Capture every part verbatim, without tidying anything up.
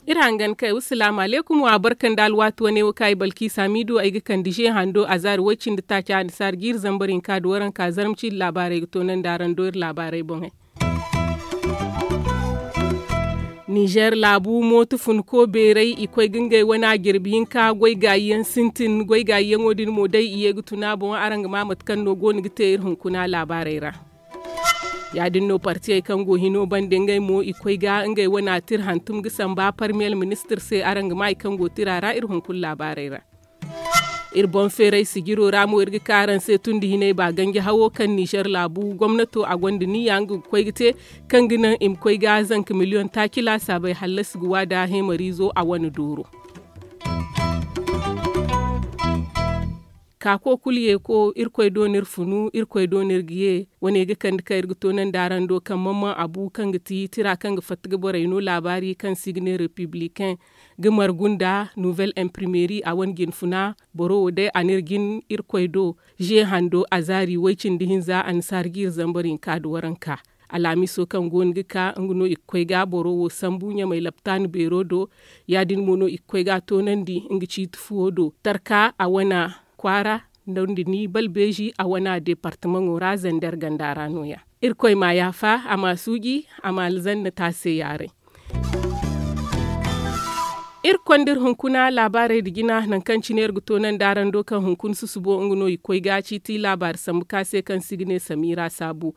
Iri hangan kay wasalaamu aleykum wa barka nda alwaati wane wo kaŋ ay balkiisa miidu ay ga kande ze hando a zaari way-cindi taaca annasaara ga iri zambar hinka nda waranka zarmacindi laabaarey ga toonandi araŋ do iri laabaarey boŋey. Ninzeer laabu mooto funko beerey i koy ga ngey wane a jirbi hinka goy gaayi yaŋ sintin goy gaayi yaŋo din mo day i ye ga tun a boŋ araŋ ga maa mate kaŋ no go no ga te iri hunkuna laabaarey ra. Ya- din no partiyey kaŋ go hino bande ngey mo i koy ga ngey wane a tira hantum ga samba parmiyel ministir se araŋ ga maa i kaŋ go tira ra iri hunkuna laabaarey ra. Iri boŋ feeray sijiro ra mo iri ga ka araŋ se tun da hinay ba ganji hawo kaŋ nizer laabu gomnato a gonda niya nga ga koy ga te kaŋ ga naŋ i ma koy ga zanka miliyoŋ taaci laasaabey hallasi ga waada heemariizo a wane dooro. Kaako kulu ye ko irkoy do no iri funu irkoy do no iri ga ye. Wane ga kande kaŋ iri ga toonandi araŋ do kaŋ mamman abu kaŋ ga ti tira kaŋ ga fatta ga borey no laabaari kaŋ si ga ne republicain ga margu nda nouvel imprimeri a wane jinfuna boro wo day a n'iri jin irkoy do. Ze hando a zaari way-cindi hinza annasaara ga iri zambar hinka nda waranka. Alhamiso kaŋ go no ga ka nga no i ga koy ga boro wo sambu ɲamay laptaani beero do. Ya- din mo no i ga koy ga a toonandi nga ciiti fuwo do tarka a wana kwaara nda ni balbeezi a wana deepartamaŋo ra zander ganda ra no- ya. Irkoy m'a yaafa a m'a suuji a m'a alzanna taase yaaray. Iri konda iri hunkuna laabaarey nda jina nangu kaŋ cine iri ga toonandi araŋ do kaŋ hunkuna susubo nga no i ga koy ga ciiti laabaari sambu ka se kaŋ se i ga ne samiira saabu.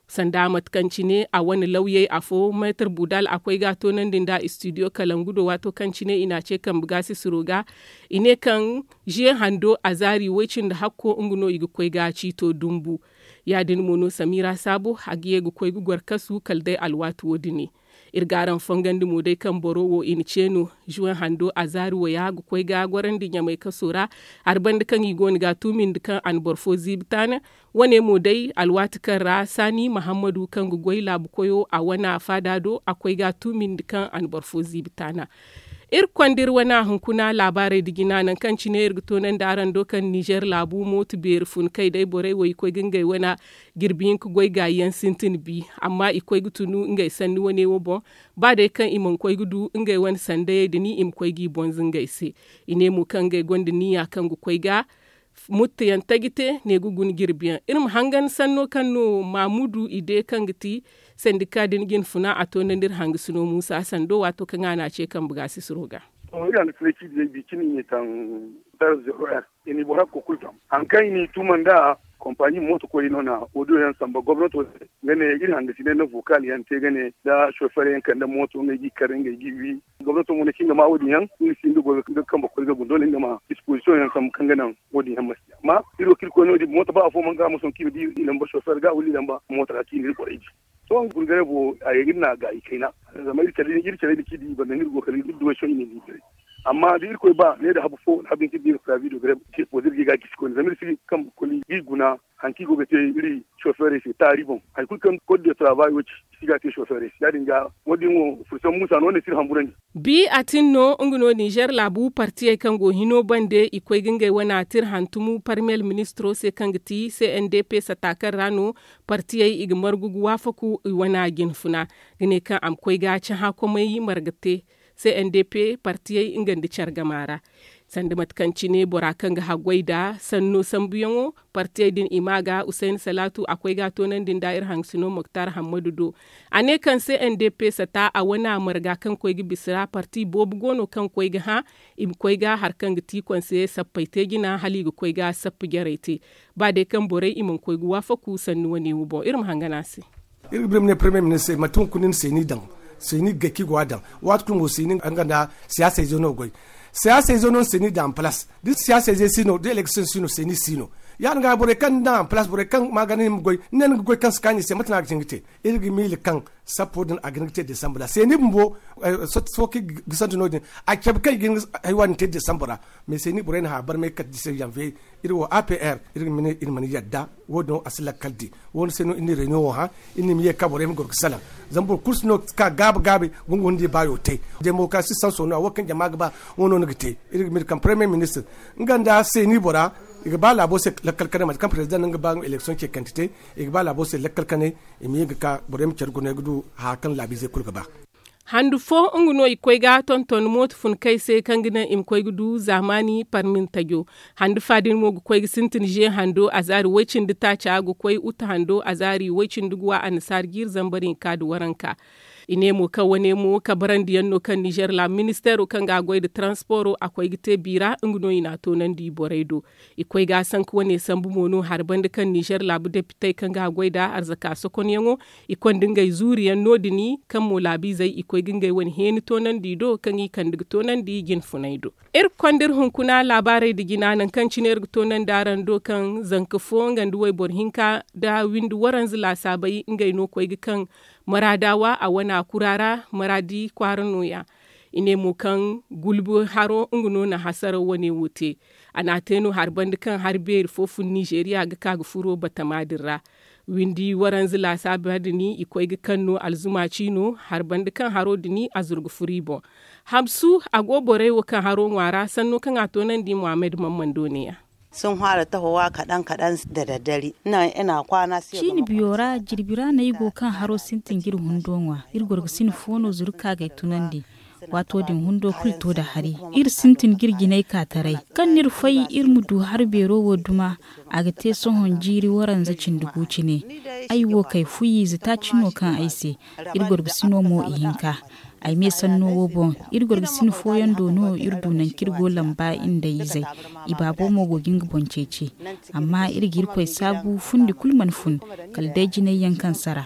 Sanda mate kaŋ cine a wane lawyey afo meetar budal a koy ga a toonandi nda istidiyo kalangu do waato kaŋ cine i n'a ce kambe gaasisiro ga. I ne kaŋ ze hando a zaari way-cindi hakko nga no i ga koy ga ciito dumbu. Ya- din mo no samiira saabu a ga ye ga koy ga goro kasu kala day alwaati wo- din. Iri ga araŋ fongandi mo day kaŋ boro wo i na ce no. Zuwen hando a zaari waya ga koy ga gorandi ɲamay kaso ra hari banda kaŋ i go no ga a tuumindi kaŋ a na boro fo ziibi taana. Wane mo day alwaati kaŋ ra saani mahammadu kaŋ ga goy laabu koyo a wana faada do a koy ga a tuumindi kaŋ a na boro fo ziibi taana. Iri konda iri wana hunkuna laabaarey nda jina nangu kaŋ cine iri ga toonandi araŋ do kaŋ nizer laabu mooto beeri fun kay day borey wo i koy ga ngey wana jirbi hinka goy gaayi yaŋ sintin bi. Amma i koy ga tunu ngey sanni wane wo boŋ ba day kaŋ i mana koy ga du ngey wane sandayey da ni i ma koy g'i bonza ngey se. I ne mo kaŋ ngey gonda niya kaŋ ga koy ga mutta yaŋ taji te ne ga guna jirbi yaŋ iri ma hangan sanno kaŋ no maamudu i de kaŋ ga ti sandika din jinfuna a to nda nda iri hangasino muusa sando waato kaŋ a na a ce kambe gaasisiro ga. Iri hangasiney ci diyey bi cine i ne taŋ dar zero r i na i boro hakko kulu taŋ. Hari kaŋ i na i tuma nda kompani mooto koy no na odiyo yaŋ samba gomnato se. Nga ne iri hangasiney na vocal yaŋ te nga ne nda sofer yaŋ kande mooto ngey g'i kar ngey g'i wi. Gomnato mo ne kaŋ nga ma wo- din yaŋ nga si nga goy ga kambe koy ga guna doole nga ma disposition yaŋ sambu kaŋ ga naŋ wo- din yaŋ ma si te amma iri wo kaŋ iri koy no- din mooto ba afo mana ga a ma sohõ kaŋ i ma di i lamba sofer ga wala i lamba mooto ra kaŋ i na iri borey di. Sohõ gurgare bo a ye ga iri na a gaayi kayna. Zama iri care din kaŋ iri di i banda no iri go kala iri duwey sohõ i na i di. Amma da irkoy ba ne nda habu fo wala habu yaŋ kaŋ iri di ga pravi do greb iri ga i ga gisi koyne zama iri si ga kambe koy ga i guna. Hari kaŋ i go ga te iri soferey se taari boŋ hari kulu kaŋ kod de travay wo- ci i si ga a te soferey se ya- din ga wo- din wo fursan muusa no- ne si iri hamburandi. Bi a tin no nga no nizer laabu partiyey kaŋ go hino bande i koy ga ngey wane a tira hantumu parmiyel ministiro se kaŋ ga ti cndp sata kaŋ ra no partiyey i ga margu ga waafaku i wane a jinfuna ga ne kaŋ a ma koy ga cahã komey marga te. Cndp partiyey nga nda care gama ra sanda mate kaŋ cine bora kaŋ ga haggoy nda sanno sambuyaŋo partiyey din i ma ga usayni salaatu a koy ga a toonandi nda iri hangasino moktar hammadu do. A ne kaŋ se n d p sata a wane a marga kaŋ koy ga bisa ra parti boobo go no kaŋ koy ga hã i ma koy ga hari kaŋ ga ti konse sappey te jina hala i ga koy ga sappa jarey te. Ba day kaŋ borey i mana koy ga waafaku sanni wane wo boŋ iri ma hangan a se. Iri ga bir ma ne premier ministre se mate hunkuna ni se ni daŋ se ni ga gay kaŋ i go a daŋ waati kulu mo se ni nga nda siyaasa izo no ga goy. Siyaasa izo no ni se ni daŋ a ma place da siyaasa izo si no da election si no se ni si no. Ya- din ga borey kaŋ ni daŋ a ma palaas borey kaŋ ma ga ne ni ma goy ni ne ni ga goy kaŋ si kaani i se mate no a ga hin ga te. Iri ga miila kaŋ sappo din a ga hin ga te desambar ra seeni bumbo. Sohõ kaŋ i ga santu no- din a cabe kaŋ i ga hin ga haywa din te desambar ra. Mais seeni borey na hã barmay kate da se janviye. Iri wo a p r iri ga ma ne iri mana yadda. Wo- din a si lakkal di wo- din se no iri na reunion wo hã. Iri na i ma ye ka borey ma goro ga salaŋ. Zama boro kulu si no ga ka gaabi gaabi. Gungu nda i baayo te. Demokarasi sanso no a wo kaŋ jama ga ba. Wo no ni ga te. Iri ga miila kaŋ premier ministir nga nda seeni bora i ga ba laabo se. Lakkal kanay mate kaŋ president no nga ba nga ma eleksiyoŋ ce kante te. I ga ba laabo se lakkal kanay. I ma ye ga ka borey ma care guna ay ga du hara kaŋ laabiizey kulu ga ba. Handu fo nga no i koy ga tonton mooto fun kay se kaŋ ga naŋ i ma koy ga du zaamaani parmin tajo. Handu fa din mo ga koy ga sintin ze hando azaari way-cindi taaca ga koy uta hando azaari way-cindi ga wa annasaari jiiri zambar hinka nda waranka. I ne mo kaŋ wane mo kabarandi yaŋ no kaŋ nizer laabu ministeero kaŋ ga a goy nda taransporo a koy ga te biira nga no i n'a toonandi borey do. I koy ga a sanka wane sambu mo no hari banda kaŋ nizer laabu depitey kaŋ ga a goy nd'a arzaka sokonyaŋo. I konda ngey zuuriyaŋ no- din kaŋ mo laabiizey i koy ga ngey wane heeni toonandi do kaŋ i kande ga toonandi jinfunay do. Iri ga konda iri hunkuna laabaarey nda jina nangu kaŋ cine iri ga toonandi araŋ do kaŋ zanka fo nga nda wayboro hinka nda windi waranza laasaabey ngey no koy ga kaŋ maraadaawa a wana kura ra maraadi kwaara nooya. I ne mo kaŋ gulbi haro nga no na hasaraw wane wo te. A n'a te no hari banda kaŋ hari beeri fo fun nizeeriya ga ka ga furo batama din ra. Windi waranza laasaaba din i koy ga kaŋ no alzuma ciino hari banda kaŋ haro din a zuru ga furo i boŋ. Hamsu a go borey wo kaŋ haro ŋwa ra sanno kaŋ a toonandi muhammad mammando ne- ya. Sun hara tahowa kaɗan kaɗan da daddare. Ciini biyo ra jirbi ra no ay go kaŋ haro sintin ga iri hundo ŋwa iri gorgo sina fo no zuru ka ga ay tunandi. Waato din hundo kulu to nda hari iri sintin ga iri jinay ka taray. Kaŋ no iri fay iri ma du hari beero wo duma. A ga te sohõ jiiri waranza cindi gu cine. Ay wo kay fuyi ize taaci no kaŋ ay se. Iri gorgo sino mo ihinka. Ay me sanno wo boŋ iri gorgo sina fooyaŋ do no iri du nangu kaŋ iri go lamba nda izey. I baabo mo go ga nga boŋ ceeci. Amma iri ga irkoy saabu fundi kulu mana fun kala day jinay yaŋ kaŋ sara.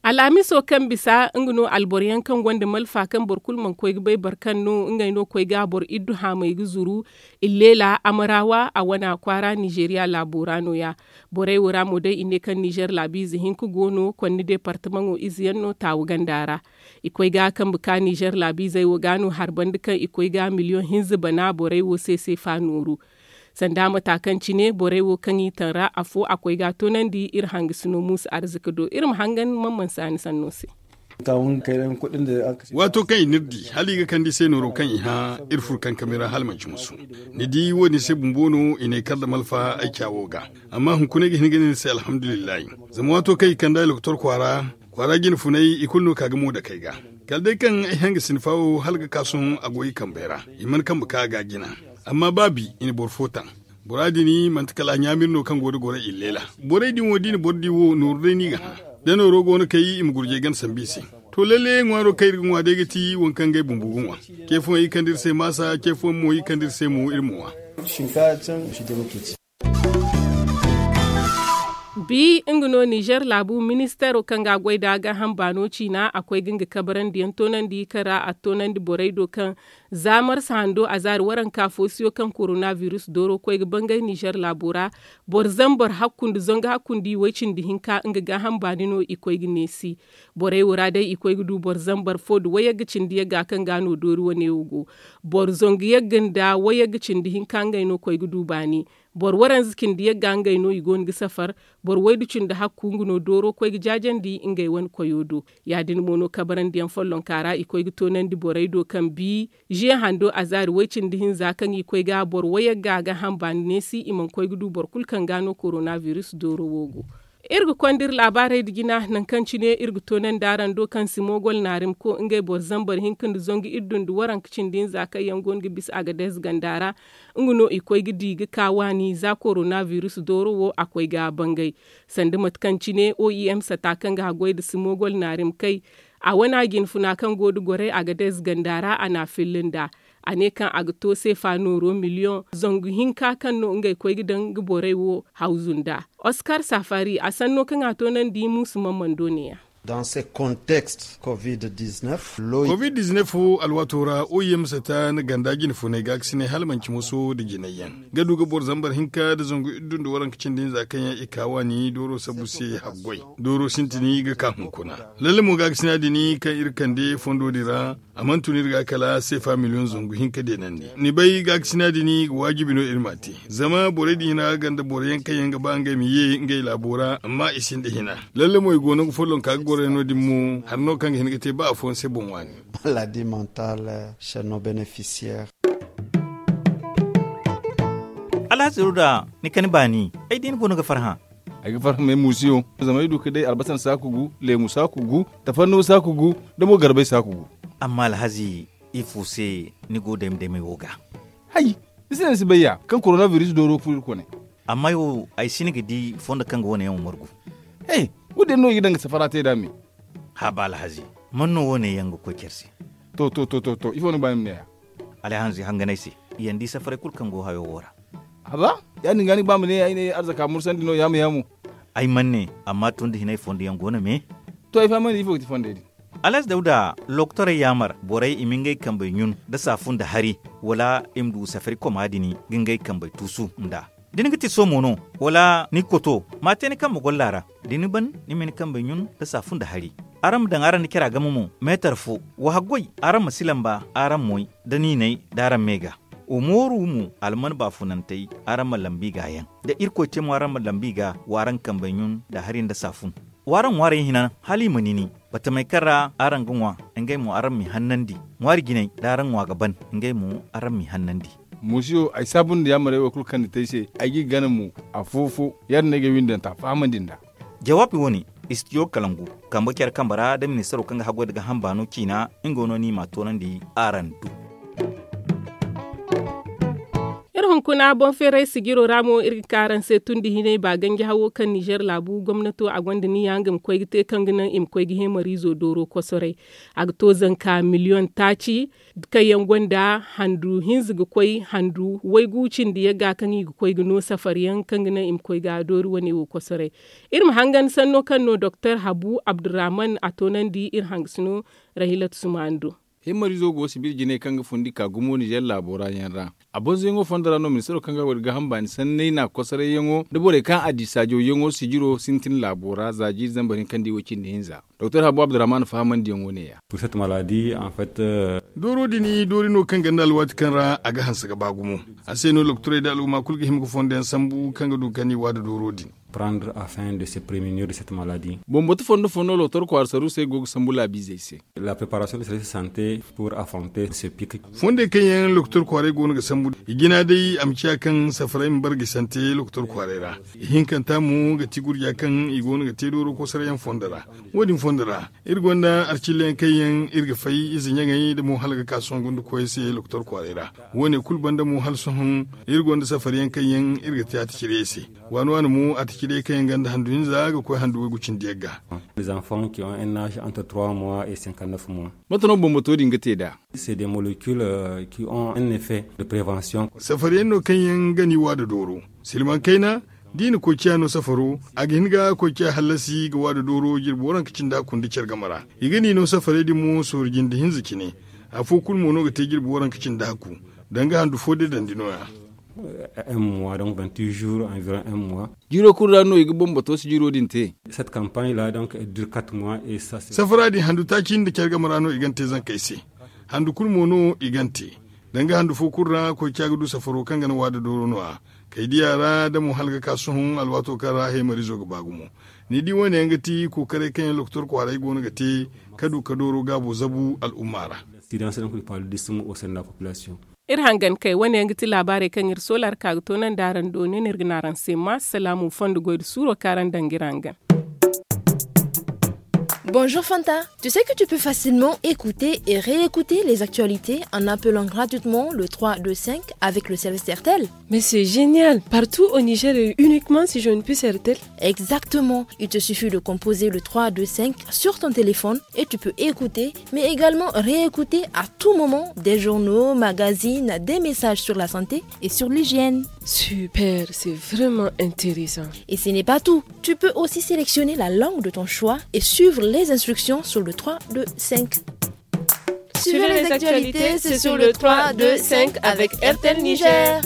Alhamiso kaŋ bisa nga no alboro yaŋ kaŋ gonda malfa kaŋ boro kulu mana koy ga bay boro kaŋ no ngey no koy ga boro iddu haamay ga zuru. Illeela amarawa a wana kwaara nizeeriya laabo ra no- ya. Borey wo ra mo day i ne kaŋ nizer laabiize hinka go no konni deepartamaŋo ize yaŋ no taawu ganda ra. I koy ga kambe ka nizer laabiizey wo ga no hari banda kaŋ i koy ga miliyoŋ hinza bana borey wo se seefa nooru. Sanda mata kaŋ cine borey wo kaŋ i taŋ ra afo a koy ga a toonandi iri hangasino muusa arzika do iri ma hangan man mana saani sanno se. Waato kaŋ i n'iri di hala i ga kande i se nooro kaŋ i hã iri furo kankami ra hala manci musu. Ni di wo- din se bumbo no i n'ay kar nda malfa ay caawo ga. Amma hunkuna ay ga hin ga ne ni se alhamdulillahi. Zama waato kaŋ i kande ay lokotor kwaara kwaara jinfunay i kulu no ka ga mo dake ay ga. Kala day kaŋ ay hangasina fa wo hala ga ka sohõ a go i kambey ra. I mana kambe ka a ga jina. Amma ba bi i na boro fo taŋ. Bora din manti kala a ɲaamir no kaŋ go da goro illeela. Borey din wo da i na boro di wo nooru day no i ga hã. Da nooro go no kay i ma gurjey gana sambu i se. To lalle ŋwaaro kaŋ iri ga ŋwa day ga ti waŋ kaŋ ngey bumbo ga ŋwa. Ce fooyaŋ i kande iri se maasa ce fooyaŋ mo i kande iri se mo iri ma ŋwa. Bi nga no nizer laabu ministeero kaŋ ga a goy nd'a gaaham baano ciina a koy ga nga kabarandiyaŋ toonandi kaŋ ra a toonandi borey do kaŋ za marsa hando a zaari waranka foosiyo kaŋ korona virus dooro koy ga bangay nizer laabo ra. Boro zambar hakku nda zangu hakku nda i way cindi hinka nga gaaham baani no i koy ga neesi. Borey wo ra day i koy ga du boro zambar fo nda wayagga cindi yagga kaŋ ga no doori wane wo go. Boro zangu yagga nda wayagga cindi hinka ngey no koy ga du baani. Boro waranza cindi yagga ngey no i go no ga safar. Boro waydu cindi hakku nga no dooro koy ga jaajandi ngey wane koyo do. Ya- din mo no kabarandiyaŋ follonka ra i koy ga toonandi borey do kaŋ bi ziye hando a zaari way cindi hinza kaŋ i koy ga boro wayagga ga hamba ni neesi i mana koy ga du boro kulu kaŋ ga no korona virus dooro wo go. Iri ga konda iri laabaarey nda jina nangu kaŋ cine iri ga toonandi araŋ do kaŋ simogol naarimko ngey boro zambar hinka nda zangu iddu nda waranka cindi hinza kaŋ yaŋ go no ga bisa agadez ganda ra. Nga no i koy ga di ga ka waani za korona virus dooro wo a koy ga bangay. Sanda mate kaŋ cine oim sata kaŋ ga haggoy nda simogol naarimkey. A wana jinfuna kaŋ go nda gorey agadez ganda ra a n'a filla nd'a. A ne kaŋ a ga to seefa nooro miliyoŋ zangu hinka kaŋ no ngey koy ga daŋ ga borey wo hawzu nd'a. Oskar safari a sanno kaŋ a toonandi muusu mammando ne- ya. Dans ce contexte covid dix-neuf, covid dix-neuf alwaato ra, o yamsa ta na ganda jine funay gaakasinay hala manci moso nda jinay yaŋ ga du ga boro zambar hinka nda zangu iddu nda waranka cindi hinza kaŋ yaŋ i ka waani dooro sabu se haggoy. Dooro sintin ga ka hunkuna. Lalle mo gaakasina din kaŋ iri kande fondo din ra, a mana tun iri ga kala seefa miliyoŋ zangu hinka deenandi. Ni bay gaakasina din ga waajibi no iri m'a te. Zama borey din hina ganda boro yaŋ kaŋ yaŋ ga ba ngey ma ye ngey laabo ra amma i sinda hina. Lalle mo i go no ga follonka ga goro yaŋ no- din mo hari no kaŋ ga hin ga te ba afooyaŋ se boŋ waani. Maladi mental chez nos bénéficiaires. Alhazi ruda, ni kani baani, ay di ni goono ga farhã. Ay ga farhã me muusiyo, zama ay du ga day albasan saaku gu, leemu saaku gu, tafanno saaku gu, da mo garbay saaku gu. Amma alhazi, ifo se ni go dayma daymay wo ga? Hay, ni si ne ni si bay ya kaŋ korona biris dooro furo iri kone. Amma ay wo, ay si ni ga di fondo kaŋ ga wane yaŋ wo margu. He, wo- din no i ga daŋ ga safara te nd'a me. Haba alhazi, man no wo- ne yaŋ ga koy care se? To to to to to ifo ni ga ba ni ma ne ya? Alhazi hanganay se, i yaŋ di safaray kulu kaŋ go hayo wo ra. Haba, ya- din ga ni ga ba ma ne ay ne arzaka mursandi no yaamo yaamo? Ay mana ne, amma tun da hinay fondo yaŋ go no me. To ay fahamandi ifo ga ti fondey din? Alhazi dawda, lokotorey yaamar borey i ma ngey kambey ɲun nda saafu nda hari, wala i ma du safari koma din ga ngey kambey tuusu nd'a. Da ni ga ti soomo no, wala ni ga koto, ma a te ni kambe golla ra. Da ni ban, ni ma ni kambey ɲun nda saafu nda hari. Araŋ ma daŋ araŋ nda cara game mo, meetar fo. Wa haggoy, araŋ ma si lamba araŋ moy, da niinay da araŋ me ga. Wa mooru mo, alman baafunantey, araŋ ma lambi ga yaŋ. Da irkoy te mo araŋ ma lambi ga, wa araŋ kambey ɲun nda hari nda saafun. Wa araŋ ŋwaarey hina hala i ma nini. Batamey kaŋ ra araŋ ga ŋwa, ngey mo araŋ m'i hannandi. Ŋwaari jinay da araŋ ŋwa ga ban, ngey mo araŋ m'i hannandi. Muusiyo, ay saabu nda yaamarey wo kulu kaŋ ni te ay se, ay g'i gana mo. Afo-fo, ya- din no ay ga ay windanta fahamandi nd'a. Jawaabi wo- ne, istidiyo kalangu, kambe care kambe ra da ministaro kaŋ ga haggoy nda gaaham baano ciina, nga no ni m'a toonandi araŋ du. Iri hunkuna boŋ feeray sijiro ra mo iri ga ka araŋ se tun da hinay ba ganji hawo kaŋ nizer laabu gomnato a gonda niya nga ma koy ga te kaŋ ga naŋ i ma koy ga heemariizo dooro kosoray. A ga to zanka miliyoŋ taaci, kaŋ yaŋ gonda handu hinza ga koy handu waygu cindi yagga kaŋ i ga koy ga no safar yaŋ kaŋ ga naŋ i ma koy ga doori wane wo kosoray. Iri ma hangan sanno kaŋ no doktor habu abdurrahman a toonandi iri hangasino. Rahilat sumaani do. Heemariizo go sibir jinay kaŋ ga fundi ka gumo nizer laabo ra yaŋ ra. A bonzoyaŋo fondo ra no ministaro kaŋ ga war gaaham baani sanney na kosarayyaŋo nda borey kaŋ a di saajawyaŋo sijiro sintin laabo ra za jiiri zambar hinka nda i wo cindi hinza. Doktor habu abdurrahman fahamandiyaŋo ne- ya. Dooro din doori no kaŋ ganda alwaati kaŋ ra a ga hanse ga ba gumo. A se no lokotorey nda al'umma kulu ga hima ga fondo yaŋ sambu kaŋ ga du ga ni waada dooro din. Prendre afin de se prevenir de cette maladie. Boŋ batu fondo fondo lokotor kwaara saruusey go ga sambu laabiizey se. La préparation de service de santé pour affronter ce pic. Fondey kaŋ yaŋ lokotor kwaaray go no ga sambu i jina day a ma ciya kaŋ safaray ma barga sante lokotor kwaaray ra. Ihinkanta mo ga ti gurja kaŋ i go no ga te dooro kosorayaŋ fondo ra. Wo- din fondo ra, iri gonda arcilla yaŋ kaŋ yaŋ iri ga fay ize ɲaŋey nda mo hala ga ka sohõ gunda koyey se lokotor kwaaray ra. Wo- ne kulu banda mo hala sohõ, iri gonda safari yaŋ kaŋ yaŋ iri ga te a ta cire se. Waani waani mo a ta cire kaŋ yaŋ gonda handu hinza ga koy handu waygu cindi yagga. Les enfants qui ont un âge entre trois mois et cinquante-neuf mois. Mate no bambato din ga te nd'a? C'est des molécules qui ont un effet de prévention. Safari yaŋ no kaŋ yaŋ ga ni waada dooro. Silmaŋ kayna, da i na koy ciya no safaro, a ga hin ga koy ciya hallasi ga waada dooro jirbi waranka cindi hakku nda care game ra. I ga ni no safaray din mo sooru jinde hinza cine. Afo kulu mo no ga te jirbi waranka cindi hakku. Danga handu fo day dandi no- ya. Un mois donc vingt-huit jours environ un mois. Jiiro kulu ra no i ga bambato sijiro din te. Cette campagne là donc elle dure quatre mois et ça c'est. Safara din handu taaci nda care game ra no i gan te zankey se. Handu kulu mo no i gan te. Danga handu fo kulu ra koy ca ga du safaro kaŋ ga na waada dooro no- ya. Kay diya ra da mo hala ga ka sohõ alwaato kaŋ ra heemariizo ga ba gumo. Ni di wo- ne yaŋ ga ti kookaray kaŋ yaŋ lokotor kwaaray go no ga te ka du ka dooro gaabo zabu al'umma ra. Silence donc du paludisme au sein de la population. Iri hangan kay wane yaŋ ga ti laabaarey kaŋ iri soola ra ka ga toonandi araŋ do ne no iri ga ne araŋ se ma salaamu fondo goy da suuro kaŋ araŋ daŋ ga iri hangan. Bonjour Fanta. Tu sais que tu peux facilement écouter et réécouter les actualités en appelant gratuitement le trois deux cinq avec le service Airtel. Mais c'est génial. Partout au Niger et uniquement si j'ai une puce R T L. Exactement. Il te suffit de composer le trois deux cinq sur ton téléphone et tu peux écouter, mais également réécouter à tout moment des journaux, magazines, des messages sur la santé et sur l'hygiène. Super, c'est vraiment intéressant. Et ce n'est pas tout. Tu peux aussi sélectionner la langue de ton choix et suivre les instructions sur le trois deux cinq. Suivez les actualités, c'est sur le trois deux cinq avec R T L Niger.